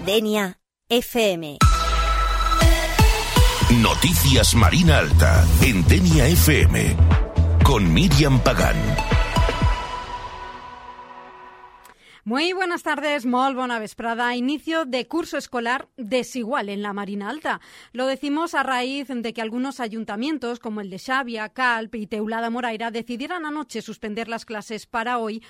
Denia FM. Noticias Marina Alta en Denia FM con Míriam Pagán. Muy buenas tardes, molt bona vesprada. Inicio de curso escolar desigual en la Marina Alta. Lo decimos a raíz de que algunos ayuntamientos, como el de Xàbia, Calp y Teulada Moraira, decidieran anoche suspender las clases para hoy,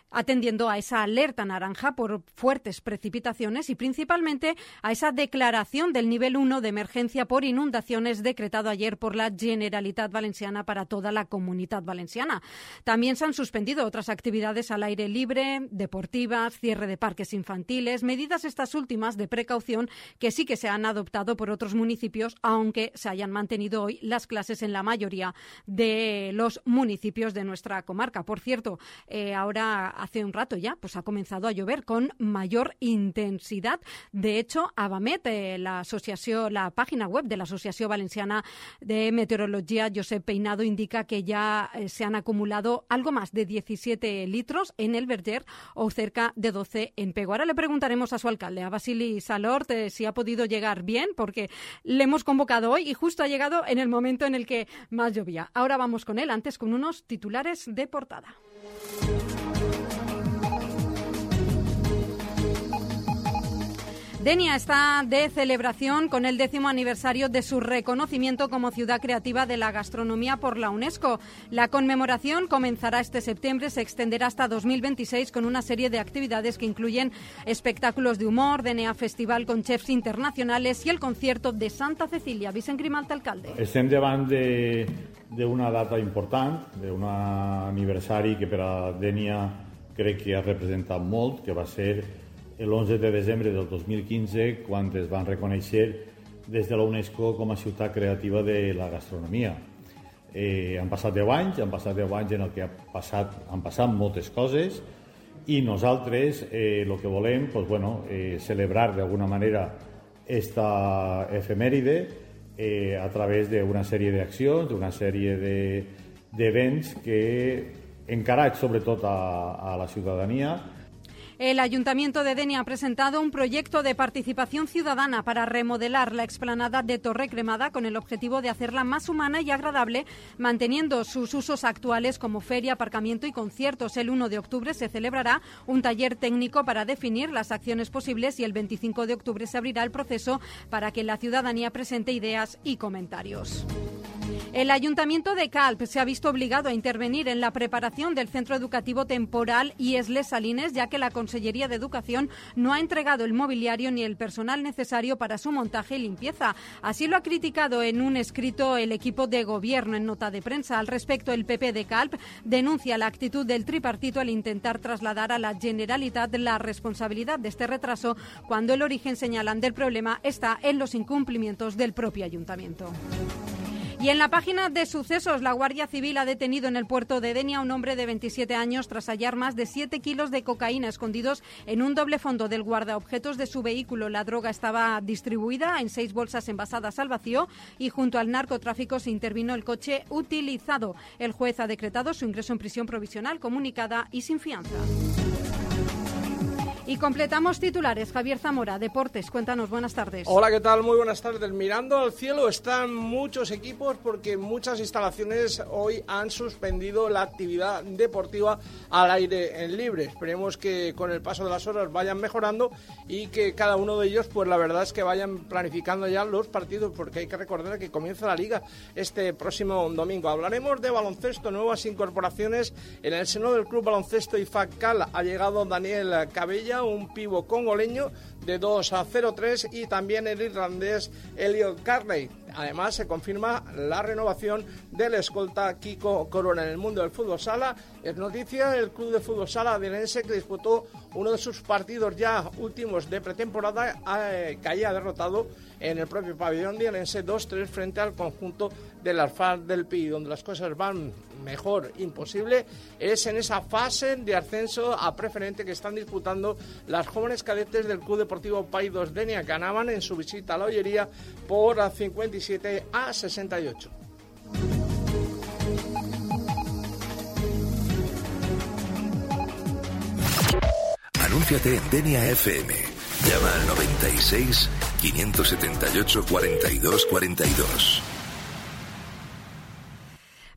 atendiendo a esa alerta naranja por fuertes precipitaciones y principalmente a esa declaración del nivel 1 de emergencia por inundaciones decretado ayer por la Generalitat Valenciana para toda la Comunitat Valenciana. También se han suspendido otras actividades al aire libre, deportivas, cierre de parques infantiles, medidas estas últimas de precaución que sí que se han adoptado por otros municipios, aunque se hayan mantenido hoy las clases en la mayoría de los municipios de nuestra comarca. Por cierto, ahora hace un rato ya pues ha comenzado a llover con mayor intensidad. De hecho, Avamet, la página web de la Asociación Valenciana de Meteorología, Josep Peinado, indica que ya se han acumulado algo más de 17 litros en el Verger o cerca de 12 en Pego. Ahora le preguntaremos a su alcalde, a Basili Salort, si ha podido llegar bien, porque le hemos convocado hoy y justo ha llegado en el momento en el que más llovía. Ahora vamos con él, antes con unos titulares de portada. Denia está de celebración con el 10º aniversario de su reconocimiento como ciudad creativa de la gastronomía por la UNESCO. La conmemoración comenzará este septiembre, se extenderá hasta 2026 con una serie de actividades que incluyen espectáculos de humor, Denia Festival con chefs internacionales y el concierto de Santa Cecilia. Vicent Grimalt, alcalde. Estem davant d'una data important, d'un aniversari que per a Denia crec que ha representat molt, que va ser l'11 de desembre del 2015, quan es van reconèixer des de la UNESCO com a ciutat creativa de la gastronomia. Han passat 10 anys en el que han passat moltes coses i nosaltres el que volem celebrar d'alguna manera esta efemèride a través d'una sèrie d'accions, d'una sèrie d'events que encarats sobretot a la ciutadania. El Ayuntamiento de Denia ha presentado un proyecto de participación ciudadana para remodelar la explanada de Torre Cremada con el objetivo de hacerla más humana y agradable, manteniendo sus usos actuales como feria, aparcamiento y conciertos. El 1 de octubre se celebrará un taller técnico para definir las acciones posibles y el 25 de octubre se abrirá el proceso para que la ciudadanía presente ideas y comentarios. El Ayuntamiento de Calp se ha visto obligado a intervenir en la preparación del centro educativo temporal IES-Les Salines, ya que la Consellería de Educación no ha entregado el mobiliario ni el personal necesario para su montaje y limpieza. Así lo ha criticado en un escrito el equipo de gobierno en nota de prensa. Al respecto, el PP de Calp denuncia la actitud del tripartito al intentar trasladar a la Generalitat la responsabilidad de este retraso, cuando el origen, señalan, del problema está en los incumplimientos del propio Ayuntamiento. Y en la página de sucesos, la Guardia Civil ha detenido en el puerto de Denia a un hombre de 27 años tras hallar más de 7 kilos de cocaína escondidos en un doble fondo del guardaobjetos de su vehículo. La droga estaba distribuida en 6 bolsas envasadas al vacío y junto al narcotráfico se intervino el coche utilizado. El juez ha decretado su ingreso en prisión provisional comunicada y sin fianza. Y completamos titulares. Javier Zamora, Deportes, cuéntanos, buenas tardes. Hola, ¿qué tal? Muy buenas tardes. Mirando al cielo están muchos equipos porque muchas instalaciones hoy han suspendido la actividad deportiva al aire libre. Esperemos que con el paso de las horas vayan mejorando y que cada uno de ellos, pues la verdad es que vayan planificando ya los partidos, porque hay que recordar que comienza la Liga este próximo domingo. Hablaremos de baloncesto, nuevas incorporaciones en el seno del Club Baloncesto IFAC-Cal. Ha llegado Daniel Cabella, un pivo congoleño de 2-0-3 y también el irlandés Elliot Carney. Además, se confirma la renovación del escolta Kiko Corona. En el mundo del fútbol sala es noticia el club de fútbol sala dienense que disputó uno de sus partidos ya últimos de pretemporada, caía derrotado en el propio pabellón dienense 2-3 frente al conjunto del Arfar del Pi. Donde las cosas van mejor imposible es en esa fase de ascenso a preferente que están disputando las jóvenes cadetes del Club Deportivo Païdos Denia, que ganaban en su visita a la Ollería por 57-68. Anúnciate en Denia FM. Llama al 96 578 42 42.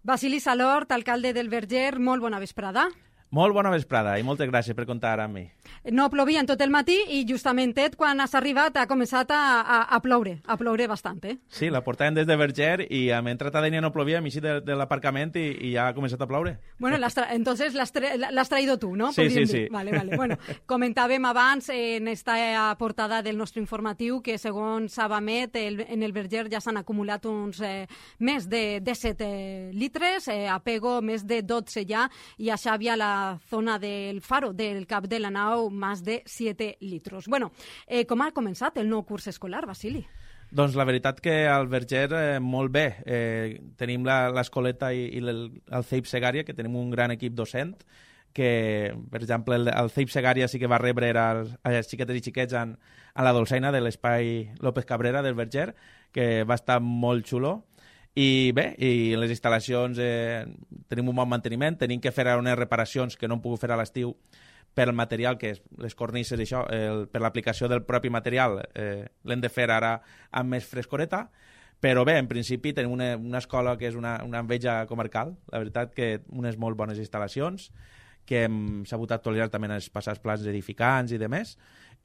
Basili Salort, alcalde del Verger, molt bona vesprada. Molt bona vesprada i moltes gràcies per comptar amb mi. No plovia en tot el matí i justament quan has arribat ha començat a ploure bastant, eh? Sí, la portàvem des de Verger i hem entrat a Dénia no plovia, hem eixit de l'aparcament i ja ha començat a ploure. Bueno, entonces l'has traído tú, ¿no? Sí, sí, sí. Vale. Bueno, comentàvem abans en esta portada del nostre informatiu que segons Sabamet en el Verger ja s'han acumulat uns més de 7 litres, a Pego més de 12 ja i a Xàbia la zona del Faro, del cap de la nau, més de 7 litros. Bueno, com ha començat el nou curs escolar, Basili? Doncs la veritat que al Verger molt bé. Tenim l'escoleta i el CEIP Segària, que tenim un gran equip docent, que, per exemple, el CEIP Segària sí que va rebre els xiquetes i xiquets en la dolçaina de l'espai López Cabrera del Verger, que va estar molt xulo. I bé, i les instal·lacions tenim un bon manteniment, tenim que fer unes reparacions que no hem pogut fer a l'estiu per el material, que és les cornisses i això, per l'aplicació del propi material, l'hem de fer ara amb més frescoreta, però bé, en principi tenim una escola que és una enveja comarcal, la veritat que unes molt bones instal·lacions, que hem sabut actualitzar també en els passats plans edificants i demés,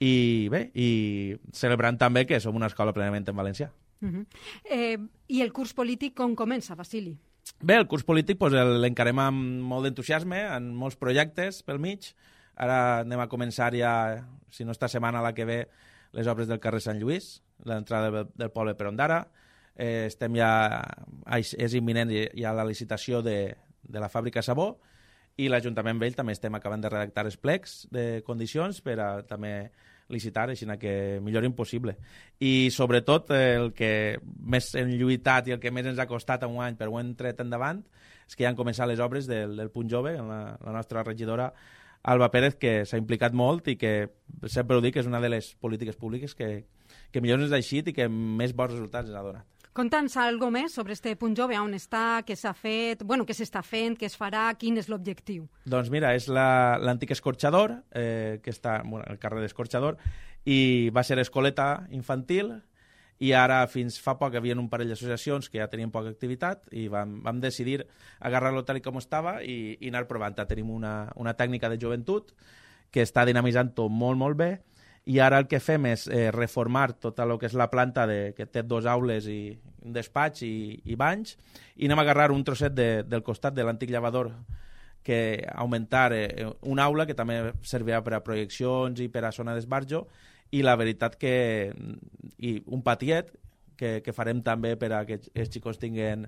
i bé, i celebrant també que som una escola plenament en valencià. I el curs polític com comença, Basili? Bé, el curs polític l'encarem amb molt d'entusiasme, amb molts projectes pel mig. Ara anem a començar ja, si no esta setmana, la que ve, les obres del carrer Sant Lluís, l'entrada del poble per Ondara. Estem ja, és imminent ja la licitació de la fàbrica Sabó i l'Ajuntament Vell també estem acabant de redactar els plecs de condicions per a també licitar, així que millor impossible. I sobretot el que més hem lluitat i el que més ens ha costat en un any, però ho hem tret endavant, és que ja han començat les obres del Punt Jove, en la nostra regidora Alba Pérez, que s'ha implicat molt i que sempre ho dic, és una de les polítiques públiques que millor ens ha eixit i que més bons resultats ens ha donat. Conta'ns alguna més sobre este Punt Jove, on està, què s'ha fet, què s'està fent, què es farà, quin és l'objectiu? Doncs mira, és l'antic escorxador, que està al carrer d'Escorxador, i va ser escoleta infantil, i ara fins fa poc hi havia un parell d'associacions que ja tenien poca activitat i vam decidir agarrar-lo tal com estava i anar provant. Tenim una tècnica de joventut que està dinamitzant-ho molt, molt bé, i ara el que fem és reformar tot el que és la planta que té 2 aules i un despatx i banys, i anem a agarrar un trosset del costat de l'antic llevador que augmentar una aula que també servirà per a projeccions i per a zona d'esbarjo, i la veritat que un patiet que farem també per a que els xicos tinguin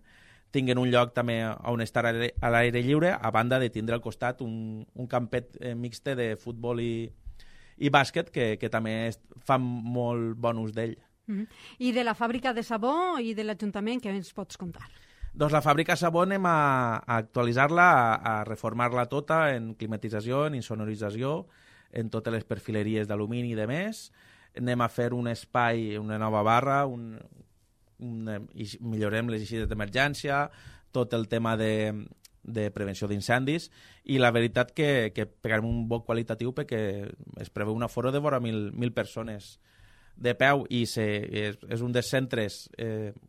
un lloc també on estar a l'aire lliure, a banda de tindre al costat un campet mixte de futbol i bàsquet que també fa molt bon ús d'ell. I de la fàbrica de sabó i de l'Ajuntament, què ens pots contar? Doncs la fàbrica sabó anem a actualitzar-la, a reformar-la tota en climatització, en insonorització, en totes les perfileries d'alumini i de més. Anem a fer un espai, una nova barra, millorem les eixides d'emergència, tot el tema de prevenció d'incendis, i la veritat que pegarem un bon qualitatiu perquè es preveu un aforo de vora 1.000 persones de peu, i és un dels centres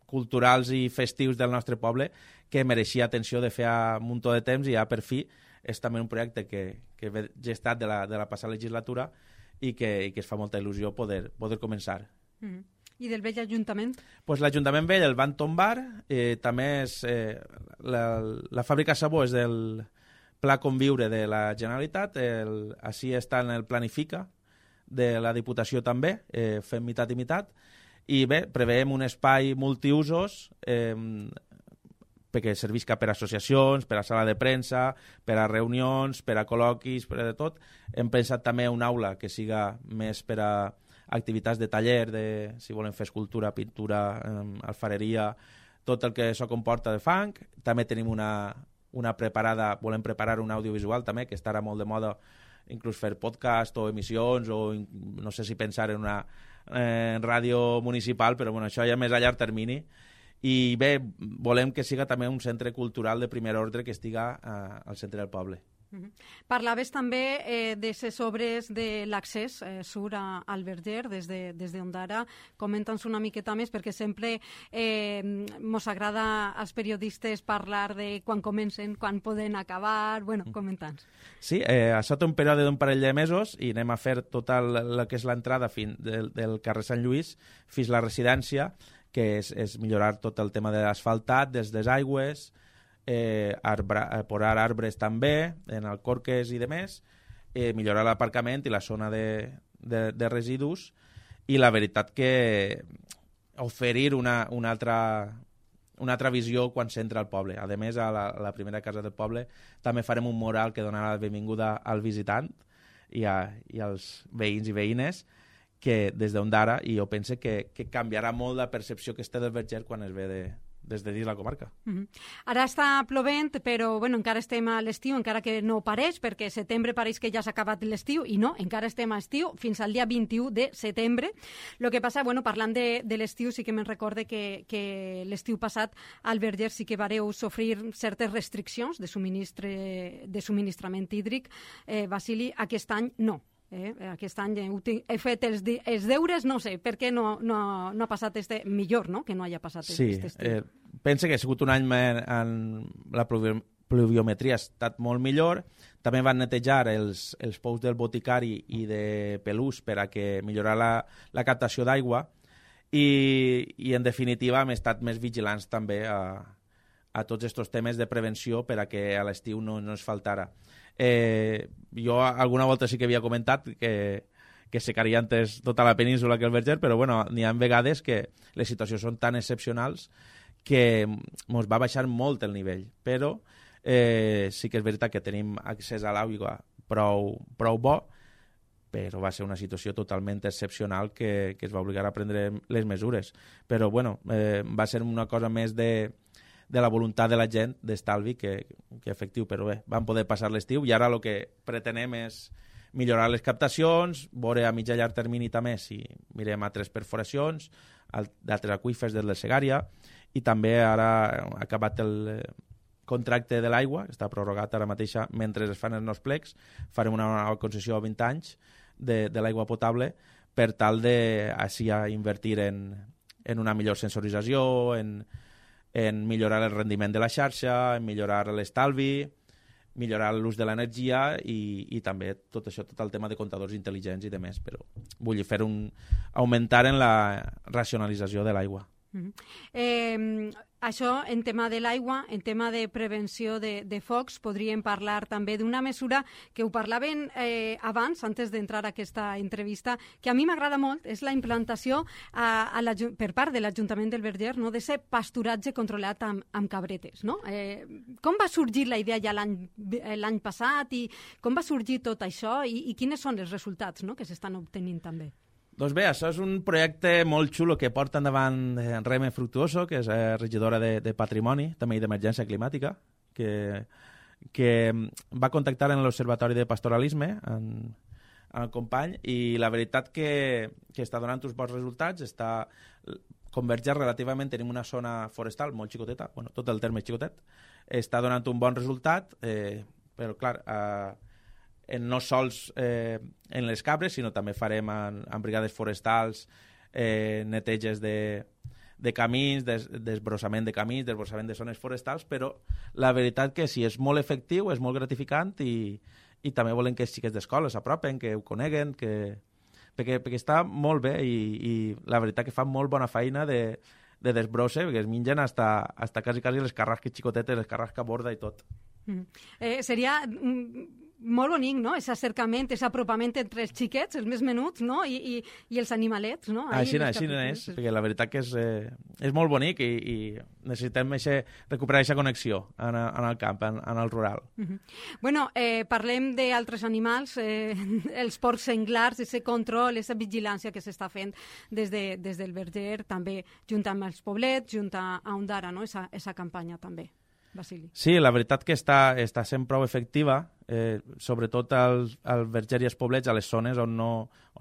culturals i festius del nostre poble que mereixia atenció de fer a un munt de temps, i ja per fi és també un projecte que ve gestat de la passada legislatura i que es fa molta il·lusió poder començar. I del vell Ajuntament? Pues l'Ajuntament vell el van tombar, també és la fàbrica Sabó és del Pla Conviure de la Generalitat, així està en el Planifica de la Diputació també, fem mitat i mitat, i bé, preveiem un espai multiusos perquè servisca per a associacions, per a sala de premsa, per a reunions, per a col·loquis, per a de tot. Hem pensat també una aula que siga més per a activitats de taller, si volen fer escultura, pintura, alfareria, tot el que això comporta de fang. També tenim una preparada, volem preparar un audiovisual també, que estarà molt de moda, inclús fer podcast o emissions, o no sé si pensar en una ràdio municipal, però bueno, això ja més a llarg termini. I bé, volem que siga també un centre cultural de primer ordre que estiga al centre del poble. Parlaves també de les obres de l'accés sur al Verger des d'Ondara. Comenta'ns una miqueta més, perquè sempre mos agrada als periodistes parlar de quan comencen, quan poden acabar. Bueno, comenta'ns. Sí, això té un període d'un parell de mesos i anem a fer tota el que és l'entrada del carrer Sant Lluís fins a la residència, que és millorar tot el tema de l'asfaltat, des des aigües, posar arbres també en el corques i demés, millorar l'aparcament i la zona de residus, i la veritat que oferir una altra visió quan s'entra al poble. A més, a la primera casa del poble també farem un mural que donarà la benvinguda al visitant i als veïns i veïnes, que des d'Ondara, i jo penso que canviarà molt la percepció que es té del Verger quan es ve des de dins la comarca. Ara està plovent, però encara estem a l'estiu, encara que no pareix, perquè setembre pareix que ja s'ha acabat l'estiu, i no, encara estem a estiu fins al dia 21 de setembre. El que passa, parlant de l'estiu, sí que me'n recorde que l'estiu passat al Verger sí que vareu sofrir certes restriccions de subministrament hídric. Basili, aquest any no. Aquest any he fet els deures, no sé, per què no ha passat millor, no?, que no hagi passat estiu. Sí, penso que ha sigut un any en la pluviometria ha estat molt millor. També van netejar els pous del boticari i de Pelús per a que millorar la captació d'aigua, i en definitiva hem estat més vigilants també a tots aquests temes de prevenció per a que a l'estiu no ens faltara. Jo alguna volta sí que havia comentat que secaria antes tota la península que el Verger, però n'hi ha vegades que les situacions són tan excepcionals que ens va baixar molt el nivell, però sí que és veritat que tenim accés a l'aigua prou bo, però va ser una situació totalment excepcional que es va obligar a prendre les mesures. Però va ser una cosa més de la voluntat de la gent d'estalvi que efectiu, però vam poder passar l'estiu, i ara el que pretenem és millorar les captacions, veure a mig i llarg termini també si mirem altres perforacions, d'altres aqüífers de la Segària, i també ara ha acabat el contracte de l'aigua, està prorrogat ara mateixa mentre es fan els nous plecs, farem una nova concessió a 20 anys de l'aigua potable per tal de així invertir en una millor sensorització, en millorar el rendiment de la xarxa, en millorar l'estalvi, millorar l'ús de l'energia i també tot això, tot el tema de comptadors intel·ligents i demés, però vull fer augmentar en la racionalització de l'aigua. Això, en tema de l'aigua, en tema de prevenció de focs, podríem parlar també d'una mesura que ho parlaven abans, antes d'entrar a aquesta entrevista, que a mi m'agrada molt, és la implantació per part de l'Ajuntament del Verger, no?, d'aquest pasturatge controlat amb cabretes. No? Com va sorgir la idea ja l'any passat i com va sorgir tot això i quins són els resultats, no?, que s'estan obtenint també? Doncs bé, això és un projecte molt xulo que porta endavant Reme Fructuoso, que és regidora de Patrimoni, també i d'Emergència Climàtica, que va contactar en l'Observatori de Pastoralisme, en el company, i la veritat que està donant uns bons resultats, està convergent relativament, tenim una zona forestal molt xicoteta, tot el terme és xicotet, està donant un bon resultat, però clar, no sols en les cabres, sinó també farem en brigades forestals neteges de camins, desbrossament de camins, desbrossament de zones forestals, però la veritat que sí, és molt efectiu, és molt gratificant i també volem que els xiquets d'escola s'apropen, que ho coneguen, perquè està molt bé i la veritat que fan molt bona feina de desbrosse, perquè es mengen hasta quasi les carrasques xicotetes, les carrasques borda i tot. Seria molt bonic, no?, aquest acercament, aquest apropament entre els xiquets, els més menuts, no?, i els animalets, no? Així és, perquè la veritat que és molt bonic i necessitem recuperar aquesta connexió en el camp, en el rural. Parlem d'altres animals, els porcs senglars, aquest control, aquesta vigilància que s'està fent des del Verger, també junt amb els poblets, junt a Ondara, no?, aquesta campanya també. Basili. Sí, la veritat que està sent prou efectiva, sobretot al Verger i als poblets, a les zones on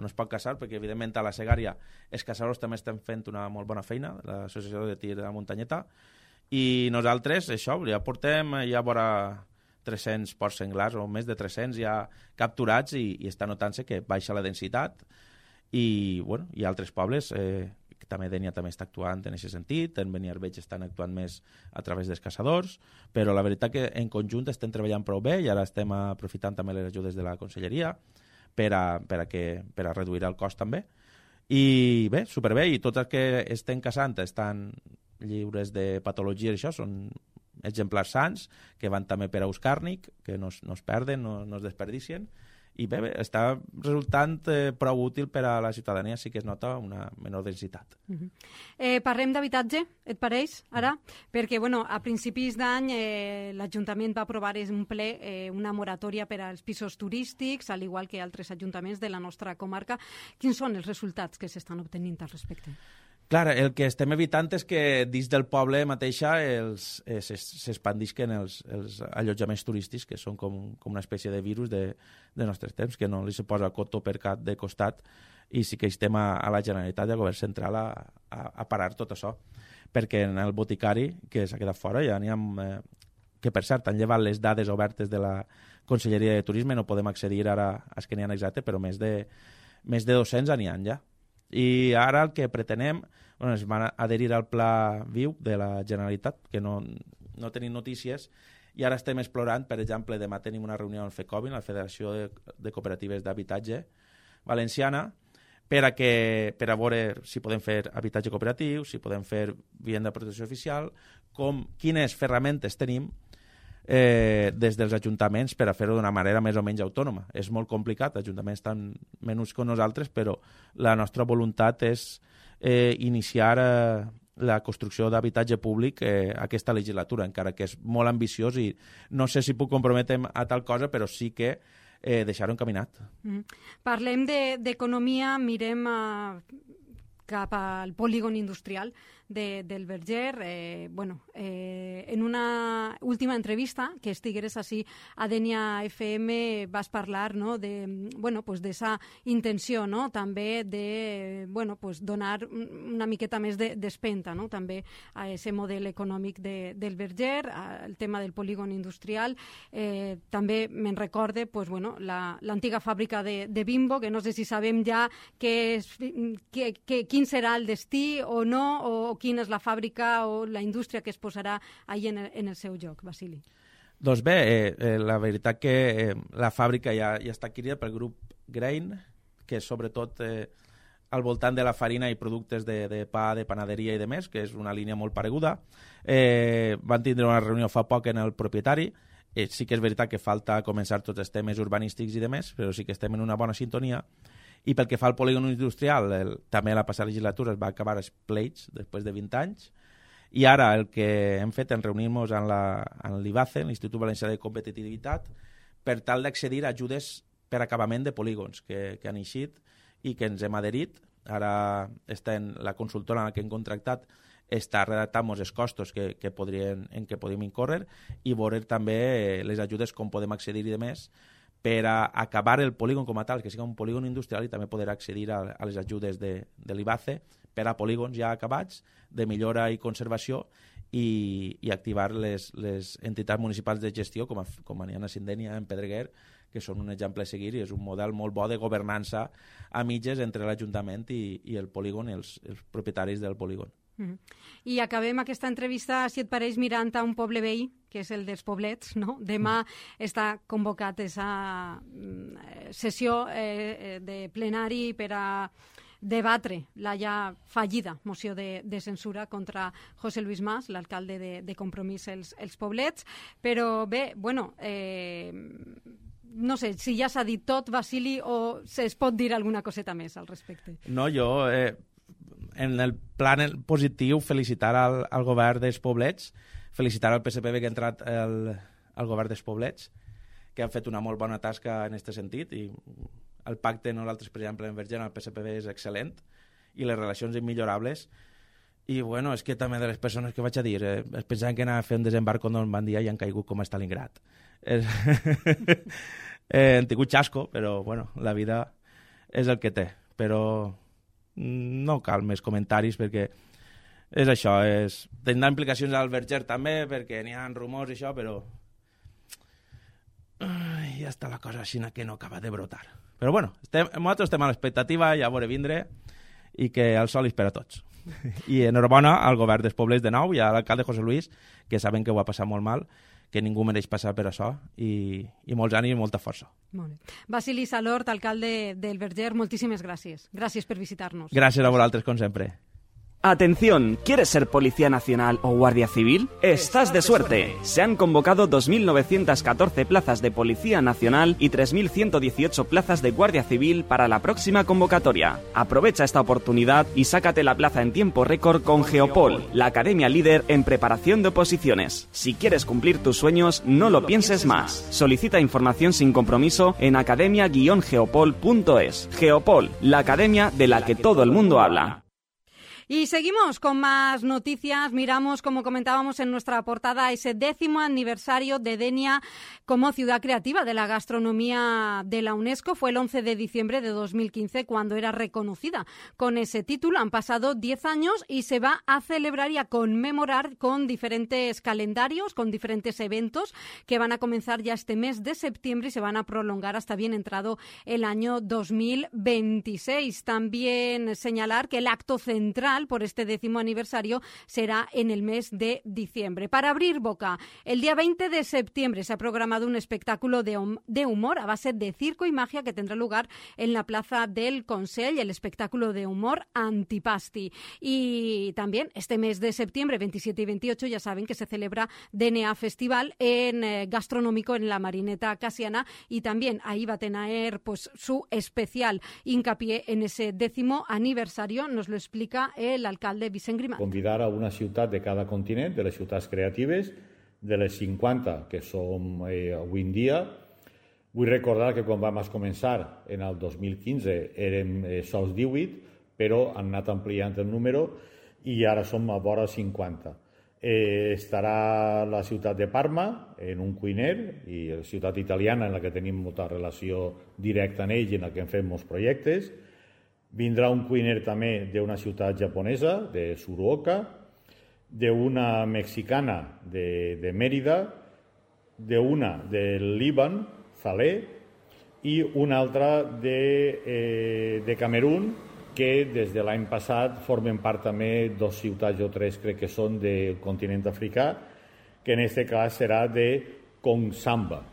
es pot caçar, perquè evidentment a la Segària els caçadors també estan fent una molt bona feina, l'Associació de Tir de la Muntanyeta, i nosaltres, això, ja portem ja vora 300 porcs senglars o més de 300 ja capturats i està notant-se que baixa la densitat i altres pobles que també Dénia també està actuant en aquest sentit, en Beniarbeig estan actuant més a través dels caçadors, però la veritat que en conjunt estem treballant prou bé i ara estem aprofitant també les ajudes de la Conselleria per a reduir el cost també. I bé, superbé, i tots els que estem caçant estan lliures de patologies, això són exemplars sants que van també per a Euscàrnic, que no es perden, no es desperdicien, i bé, està resultant prou útil per a la ciutadania, sí que es nota una menor densitat. Parlem d'habitatge, et pareix, ara? Perquè, a principis d'any l'Ajuntament va aprovar en un ple una moratòria per als pisos turístics, al igual que altres ajuntaments de la nostra comarca. Quins són els resultats que s'estan obtenint al respecte? Clar, el que estem evitant és que dins del poble mateixa s'expandisquen els allotjaments turístics, que són com una espècie de virus de nostres temps, que no li se posa cotó per cap de costat, i sí que estem a la Generalitat i al Govern Central a parar tot això. Perquè en el boticari, que s'ha quedat fora, ja n'hi ha, que per cert han llevat les dades obertes de la Conselleria de Turisme, no podem accedir ara a que n'hi ha exacte, però més de 200 n'hi ha ja. I ara el que pretenem, es van adherir al Pla Viu de la Generalitat, que no tenim notícies, i ara estem explorant, per exemple, demà tenim una reunió amb FECOBIN, la Federació de Cooperatives d'Habitatge Valenciana, per a veure si podem fer habitatge cooperatiu, si podem fer vivenda de protecció oficial, quines ferramentes tenim des dels ajuntaments per a fer-ho d'una manera més o menys autònoma. És molt complicat, els ajuntaments estan menuts com nosaltres, però la nostra voluntat és iniciar la construcció d'habitatge públic aquesta legislatura, encara que és molt ambiciós i no sé si puc comprometre'm a tal cosa, però sí que deixar-ho encaminat. Parlem d'economia, mirem cap al polígon industrial del Verger. En una última entrevista que estigueres així a Dénia FM vas parlar d'esa intenció també de donar una miqueta més d'espenta també a aquest model econòmic del Verger, el tema del polígon industrial. També me'n recorde l'antiga fàbrica de Bimbo, que no sé si sabem ja quin serà el destí o no, o quina és la fàbrica o la indústria que es posarà allà en el seu lloc, Basili. Doncs bé, la veritat que la fàbrica ja està adquirida pel grup Grain, que és sobretot al voltant de la farina i productes de pa, de panaderia i de més, que és una línia molt pareguda. Van tindre una reunió fa poc en el propietari. Sí que és veritat que falta començar tots els temes urbanístics i de més, però sí que estem en una bona sintonia. I pel que fa al polígon industrial, també la passada legislatura es va acabar els pleits després de 20 anys, i ara el que hem fet en reunir-nos en l'IVACE, l'Institut Valencià de Competitivitat, per tal d'accedir a ajudes per acabament de polígons que han eixit i que ens hem adherit. Ara la consultora en la que hem contractat està redactant els costos en què podríem incórrer i veure també les ajudes com podem accedir i de més per a acabar el polígon com a tal, que sigui un polígon industrial, i també poder accedir a les ajudes de l'IVACE per a polígons ja acabats, de millora i conservació, i activar les entitats municipals de gestió, com n'hi ha a Sindènia, en Pedreguer, que són un exemple a seguir, i és un model molt bo de governança a mitges entre l'Ajuntament i el polígon, i els propietaris del polígon. I acabem aquesta entrevista, si et pareix, mirant a un poble veí, que és el dels Poblets, no? Demà està convocat aquesta sessió de plenari per a debatre la ja fallida moció de censura contra José Luis Mas, l'alcalde de Compromís els Poblets. Però bé, no sé si ja s'ha dit tot, Basili, o es pot dir alguna coseta més al respecte. No, jo... en el plan positiu, felicitar al govern dels Poblets, felicitar al PSPB que ha entrat al govern dels Poblets, que han fet una molt bona tasca en aquest sentit, i el pacte, nosaltres, per exemple, en Verger, el PSPB és excel·lent, i les relacions immillorables, i bueno, és que també de les persones que vaig a dir, es pensaven que anava a fer un desembarc on van dir i han caigut com a Stalingrad. Han tingut xasco, però bueno, la vida és el que té, però no cal més comentaris perquè és això, tindrà implicacions al Verger també perquè n'hi ha rumors i això, però ja està la cosa així que no acaba de brotar. Però bueno, nosaltres estem a l'expectativa, ja a veure vindre, i que el sol és per a tots. I enhorabona al govern dels Poblets de nou i a l'alcalde José Luis, que saben que ho ha passat molt mal, que ningú mereix passar per això, i molts ànims i molta força. Molt bé. Basili Salort, alcalde del Verger, moltíssimes gràcies. Gràcies per visitar-nos. Gràcies a vosaltres, com sempre. Atención, ¿quieres ser Policía Nacional o Guardia Civil? ¡Estás de suerte! Se han convocado 2.914 plazas de Policía Nacional y 3.118 plazas de Guardia Civil para la próxima convocatoria. Aprovecha esta oportunidad y sácate la plaza en tiempo récord con Geopol, la academia líder en preparación de oposiciones. Si quieres cumplir tus sueños, no lo pienses más. Solicita información sin compromiso en academia-geopol.es. Geopol, la academia de la que todo el mundo habla. Y seguimos con más noticias. Miramos, como comentábamos en nuestra portada, ese 10º aniversario de Denia como ciudad creativa de la gastronomía de la UNESCO. Fue el 11 de diciembre de 2015 cuando era reconocida con ese título. Han pasado 10 años y se va a celebrar y a conmemorar con diferentes calendarios, con diferentes eventos que van a comenzar ya este mes de septiembre y se van a prolongar hasta bien entrado el año 2026. También señalar que el acto central por este 10º aniversario será en el mes de diciembre. Para abrir boca, el día 20 de septiembre se ha programado un espectáculo de humor a base de circo y magia que tendrá lugar en la Plaza del Consell, el espectáculo de humor Antipasti. Y también este mes de septiembre, 27 y 28, ya saben que se celebra DNA Festival gastronómico en la Marineta Casiana y también ahí va a tener pues su especial hincapié en ese 10º aniversario. Nos lo explica el alcalde Vicent Grimalt. Convidar a una ciutat de cada continent, de les ciutats creatives, de les 50 que som avui en dia. Vull recordar que quan vam començar en el 2015 érem sols 18, però han anat ampliant el número i ara som a vora 50. Estarà la ciutat de Parma en un cuiner i la ciutat italiana en la que tenim molta relació directa en ell i en la que hem fet molts projectes. Vindrà un cuiner també d'una ciutat japonesa, de Fukuoka, d'una mexicana de Mérida, d'una del Líban, Zalé, i una altra de Camerún, que des de l'any passat formen part també 2 ciutats o 3, crec que són del continent africà, que en aquest cas serà de Kongsamba.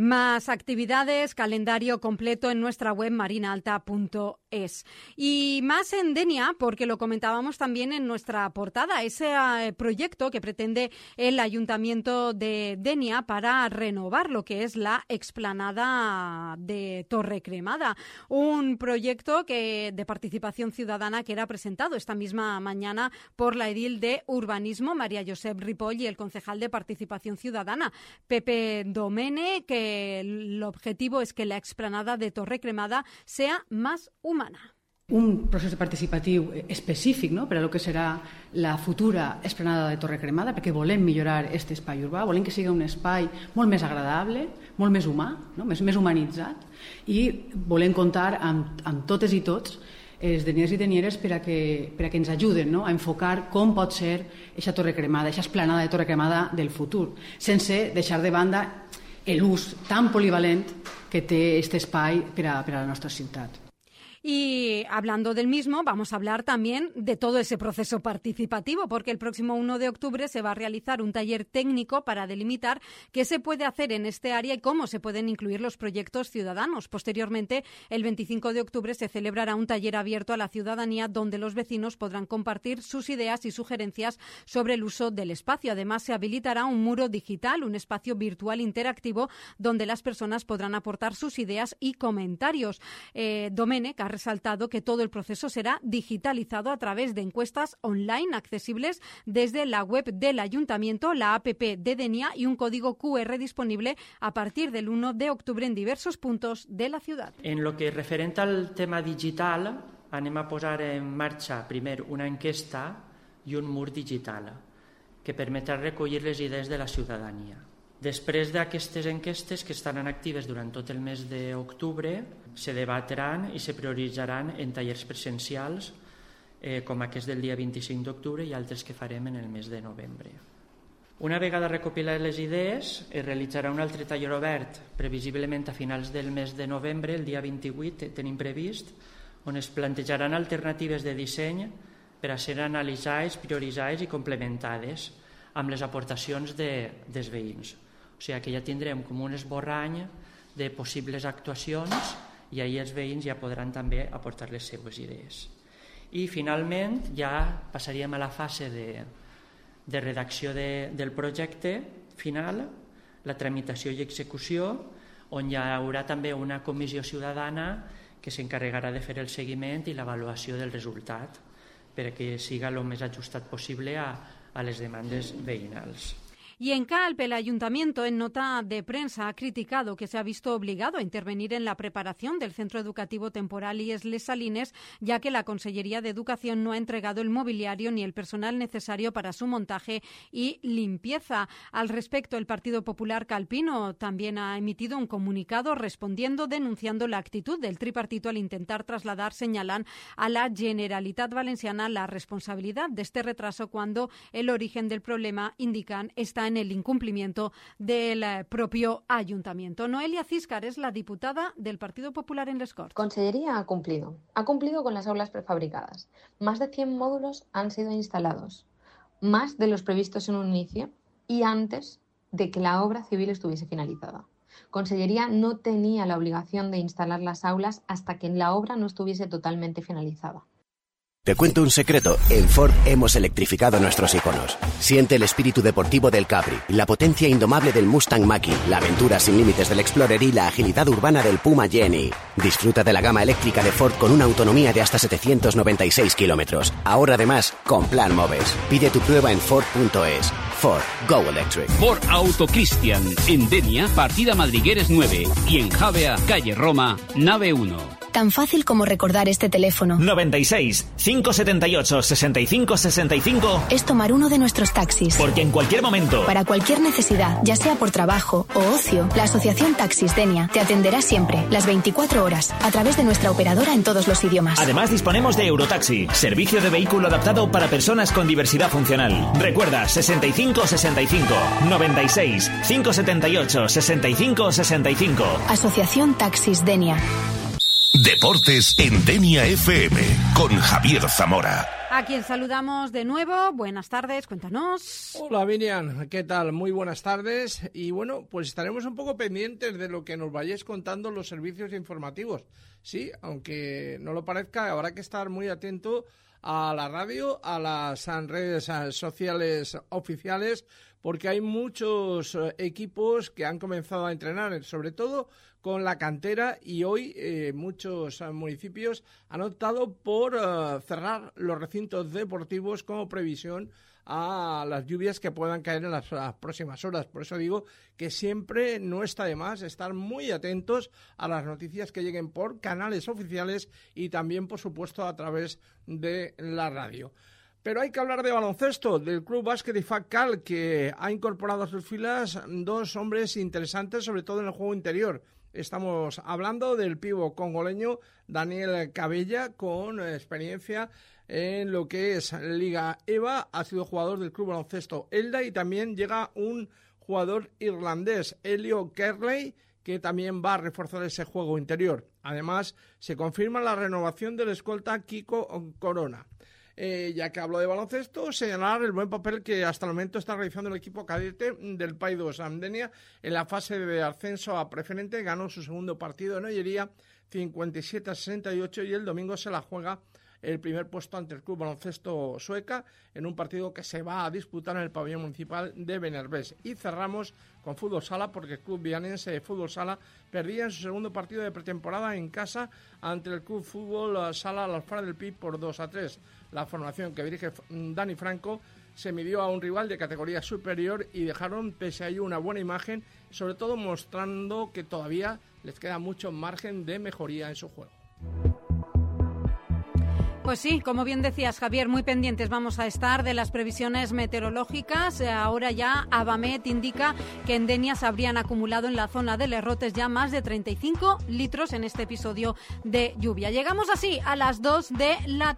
Más actividades, calendario completo en nuestra web marinaalta.es. Y más en Denia, porque lo comentábamos también en nuestra portada, ese proyecto que pretende el Ayuntamiento de Denia para renovar lo que es la explanada de Torrecremada. Un proyecto de participación ciudadana que era presentado esta misma mañana por la edil de Urbanismo, María Josep Ripoll, y el concejal de Participación Ciudadana, Pepe Domene, que el objetivo es que la explanada de Torrecremada sea más humana. Un procés participatiu específic, no?, per a lo que serà la futura explanada de Torrecremada, perquè volem millorar aquest espai urbà, volem que sigui un espai molt més agradable, molt més humà, no?, més humanitzat, i volem comptar amb totes i tots els deniers i denieres per a que ens ajuden, no?, a enfocar com pot ser aquesta Torrecremada, aquesta explanada de Torrecremada del futur, sense deixar de banda l'ús tan polivalent que té aquest espai per a la nostra ciutat. Y hablando del mismo, vamos a hablar también de todo ese proceso participativo, porque el próximo 1 de octubre se va a realizar un taller técnico para delimitar qué se puede hacer en este área y cómo se pueden incluir los proyectos ciudadanos. Posteriormente, el 25 de octubre se celebrará un taller abierto a la ciudadanía donde los vecinos podrán compartir sus ideas y sugerencias sobre el uso del espacio. Además, se habilitará un muro digital, un espacio virtual interactivo donde las personas podrán aportar sus ideas y comentarios. Domene ha resaltado que todo el proceso será digitalizado a través de encuestas online accesibles desde la web del Ayuntamiento, la APP de Denia y un código QR disponible a partir del 1 de octubre en diversos puntos de la ciudad. En lo que referente al tema digital, anem a posar en marxa primer una enquesta i un mur digital que permetrà recollir les idees de la ciutadania. Després d'aquestes enquestes, que estaran actives durant tot el mes d'octubre, se debatran i se prioritzaran en tallers presencials com aquest del dia 25 d'octubre i altres que farem en el mes de novembre. Una vegada recopilades les idees, es realitzarà un altre taller obert, previsiblement a finals del mes de novembre, el dia 28 tenim previst, on es plantejaran alternatives de disseny per a ser analitzades, prioritzades i complementades amb les aportacions dels veïns. O sigui que ja tindrem com un esborrany de possibles actuacions i ahir els veïns ja podran també aportar les seues idees. I finalment ja passaríem a la fase de redacció del projecte final, la tramitació i execució, on hi haurà també una comissió ciutadana que s'encarregarà de fer el seguiment i l'avaluació del resultat perquè siga el més ajustat possible a les demandes veïnals. Y en Calpe, el Ayuntamiento, en nota de prensa, ha criticado que se ha visto obligado a intervenir en la preparación del Centro Educativo Temporal IES Les Salines, ya que la Consellería de Educación no ha entregado el mobiliario ni el personal necesario para su montaje y limpieza. Al respecto, el Partido Popular calpino también ha emitido un comunicado respondiendo, denunciando la actitud del tripartito al intentar trasladar, señalan a la Generalitat Valenciana la responsabilidad de este retraso cuando el origen del problema, indican, está en el incumplimiento del propio ayuntamiento. Noelia Císcar es la diputada del Partido Popular en Les Corts. Consellería ha cumplido con las aulas prefabricadas. Más de 100 módulos han sido instalados, más de los previstos en un inicio y antes de que la obra civil estuviese finalizada. Consellería no tenía la obligación de instalar las aulas hasta que la obra no estuviese totalmente finalizada. Te cuento un secreto, en Ford hemos electrificado nuestros iconos. Siente el espíritu deportivo del Capri, la potencia indomable del Mustang Mach-E, la aventura sin límites del Explorer y la agilidad urbana del Puma Jenny. Disfruta de la gama eléctrica de Ford con una autonomía de hasta 796 kilómetros. Ahora además, con Plan Moves. Pide tu prueba en Ford.es. Ford, Go Electric. Ford Auto Cristian, en Denia, partida Madrigueres 9 y en Javea, calle Roma, nave 1. Tan fácil como recordar este teléfono. 96 578 65 65 es tomar uno de nuestros taxis. Porque en cualquier momento, para cualquier necesidad, ya sea por trabajo o ocio, la Asociación Taxis Denia te atenderá siempre, las 24 horas, a través de nuestra operadora en todos los idiomas. Además disponemos de Eurotaxi, servicio de vehículo adaptado para personas con diversidad funcional. Recuerda, 65 65 96 578 65 65. Asociación Taxis Denia. Deportes en Denia FM con Javier Zamora. A quien saludamos de nuevo. Buenas tardes, cuéntanos. Hola Miriam, ¿qué tal? Muy buenas tardes. Y bueno, pues estaremos un poco pendientes de lo que nos vayáis contando los servicios informativos. Sí, aunque no lo parezca, habrá que estar muy atento a la radio, a las redes sociales oficiales, porque hay muchos equipos que han comenzado a entrenar, sobre todo con la cantera, y hoy muchos municipios han optado por cerrar los recintos deportivos como previsión a las lluvias que puedan caer en las próximas horas. Por eso digo que siempre no está de más estar muy atentos a las noticias que lleguen por canales oficiales y también, por supuesto, a través de la radio. Pero hay que hablar de baloncesto, del Club Básquet IFAC Cal, que ha incorporado a sus filas dos hombres interesantes, sobre todo en el juego interior. Estamos hablando del pívot congoleño Daniel Cabella, con experiencia en lo que es Liga EVA. Ha sido jugador del Club Baloncesto Elda, y también llega un jugador irlandés, Elio Kerley, que también va a reforzar ese juego interior. Además, se confirma la renovación del escolta Kiko Corona. Ya que hablo de baloncesto, señalar el buen papel que hasta el momento está realizando el equipo cadete del Pai 2 Denia en la fase de ascenso a preferente. Ganó su segundo partido en Ollería, 57-68, y el domingo se la juega el primer puesto ante el Club Baloncesto Sueca en un partido que se va a disputar en el pabellón municipal de Benerbés. Y cerramos con fútbol sala, porque el Club Vianense de Fútbol Sala perdía en su segundo partido de pretemporada en casa ante el Club Fútbol Sala Las Faras del Pi por 2-3. La formación que dirige Dani Franco se midió a un rival de categoría superior y dejaron pese a ello una buena imagen, sobre todo mostrando que todavía les queda mucho margen de mejoría en su juego. Pues sí, como bien decías, Javier, muy pendientes vamos a estar de las previsiones meteorológicas. Ahora ya Abamet indica que en Denia se habrían acumulado en la zona de Lerrotes ya más de 35 litros en este episodio de lluvia. Llegamos así a las 2 de la tarde.